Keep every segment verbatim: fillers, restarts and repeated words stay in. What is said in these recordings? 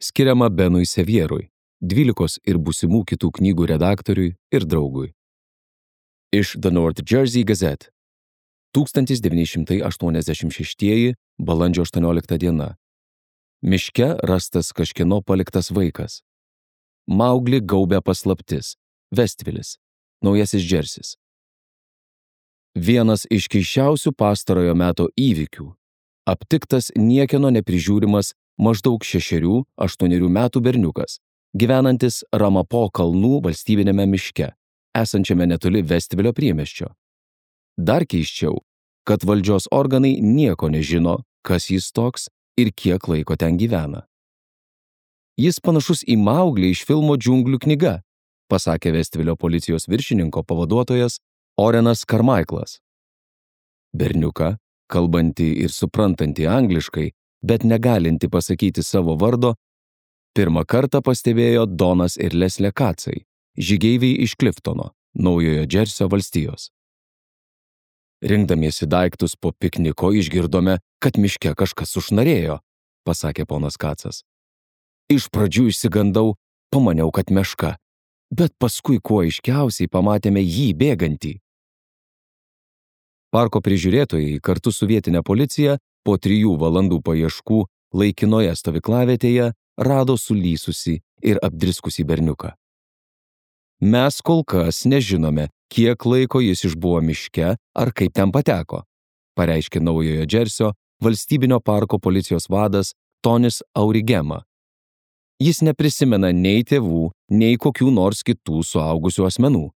skiriama Benui Sevierui, dvylikos ir būsimų kitų knygų redaktoriui ir draugui. Iš The North Jersey Gazette. tūkstantis devyni šimtai aštuoniasdešimt šeštieji balandžio aštuoniolikta diena. Miške rastas kažkieno paliktas vaikas. Mauglį gaubia paslaptis. Vestvilis, Naujasis Džersis. Vienas iš keisčiausių pastarojo meto įvykių. Aptiktas niekieno neprižiūrimas maždaug šešerių, aštuonerių metų berniukas, gyvenantis Ramapo kalnų valstybinėme miške, esančiame netoli Vestvilio priemiesčio. Dar keisčiau, kad valdžios organai nieko nežino, kas jis toks ir kiek laiko ten gyvena. Jis panašus į Mauglį iš filmo Džiunglių knyga, pasakė Vestvilio policijos viršininko pavaduotojas Orenas Carmichaelas. Berniuką, kalbantį ir suprantantį angliškai, bet negalinti pasakyti savo vardo, pirmą kartą pastebėjo Donas ir Leslė Kacai, žygeiviai iš Cliftono, Naujojo Džersio valstijos. Rinkdamiesi daiktus po pikniko išgirdome, kad miške kažkas sušnarėjo, pasakė ponas Kacas. Iš pradžių išsigandau, pamaniau, kad meška, bet paskui kuo aiškiausiai pamatėme jį bėgantį. Parko prižiūrėtojai kartu su vietinė policija po trijų valandų paieškų laikinoje stovyklavietėje rado sulysusį ir apdriskusį berniuką. Mes kol kas nežinome, kiek laiko jis išbuvo miške ar kaip ten pateko, pareiškė Naujojo Džersio valstybinio parko policijos vadas Tonis Aurigema. Jis neprisimena nei tėvų, nei kokių nors kitų suaugusių asmenų.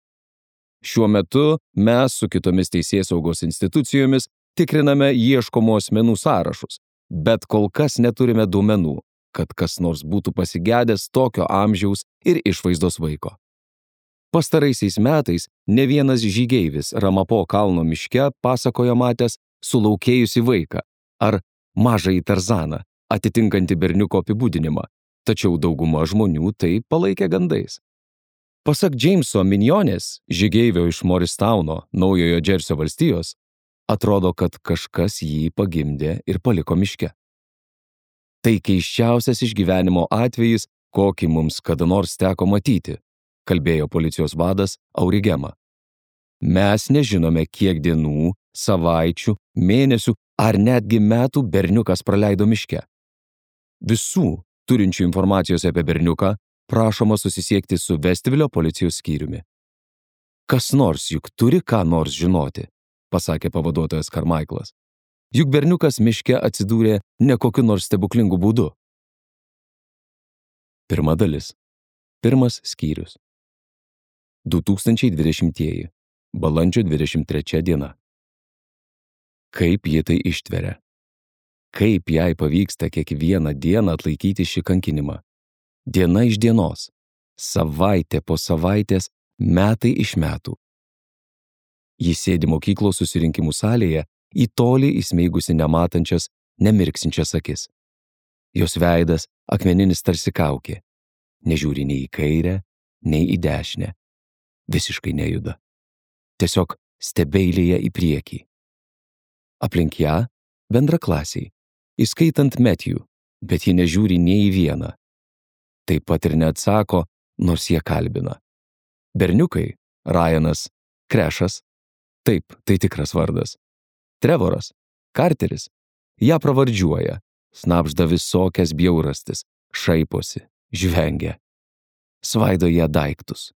Šiuo metu mes su kitomis teisėsaugos institucijomis tikriname ieškomų asmenų sąrašus, bet kol kas neturime duomenų, kad kas nors būtų pasigedęs tokio amžiaus ir išvaizdos vaiko. Pastaraisiais metais ne vienas žygeivis Ramapo kalno miške pasakojo matęs sulaukėjusį vaiką ar mažąjį Tarzaną, atitinkantį berniuko apibūdinimą, tačiau dauguma žmonių tai palaikė gandais. Pasak Jameso Minionės, žygeivio iš Moristauno, Naujojo Džersio valstijos, atrodo, kad kažkas jį pagimdė ir paliko miške. Tai keisčiausias išgyvenimo atvejis, kokį mums kada nors teko matyti, kalbėjo policijos vadas Aurigema. Mes nežinome, kiek dienų, savaičių, mėnesių ar netgi metų berniukas praleido miške. Visų turinčių informacijos apie berniuką prašoma susisiekti su Vestvilio policijos skyriumi. Kas nors juk turi ką nors žinoti, pasakė pavaduotojas Carmichaelas. Juk berniukas miške atsidūrė ne kokiu nors stebuklingu būdu. Pirma dalis. Pirmas skyrius. du tūkstančiai dvidešimtieji. Balandžio dvidešimt trečia diena. Kaip ji tai ištveria? Kaip jai pavyksta kiekvieną dieną atlaikyti šį kankinimą? Diena iš dienos, savaitė po savaitės, metai iš metų. Ji sėdi mokyklos susirinkimų salėje, į tolį įsmeigusi nematančias, nemirksinčias akis. Jos veidas akmeninis tarsi kaukė, nežiūri nei į kairę, nei į dešinę. Visiškai nejuda. Tiesiog stebeilėje į priekį. Aplink ją bendraklasiai, įskaitant Matthew, bet ji nežiūri nei į vieną. Taip pat ir neatsako, nors jie kalbina. Berniukai, Ryanas, Krešas, taip, tai tikras vardas. Trevoras, Carteris, ją pravardžiuoja, snapžda visokias bjaurastis, šaiposi, žvengia. Svaido ją daiktus,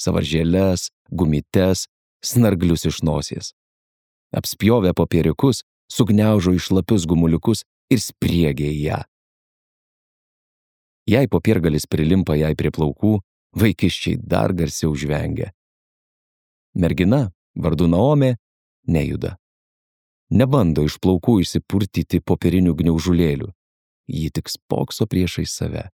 savaržėles, gumytes, snarglius iš nosies. Apspjovę popieriukus, sugniaužo į šlapius gumuliukus ir spriegia į ją. Jei popiergalis prilimpa jai prie plaukų, vaikiščiai dar garsiau žvengia. Mergina, vardu Naomė, nejuda. Nebando iš plaukų išsipurtyti popierinių gniaužulėlių. Ji tik spokso priešais save.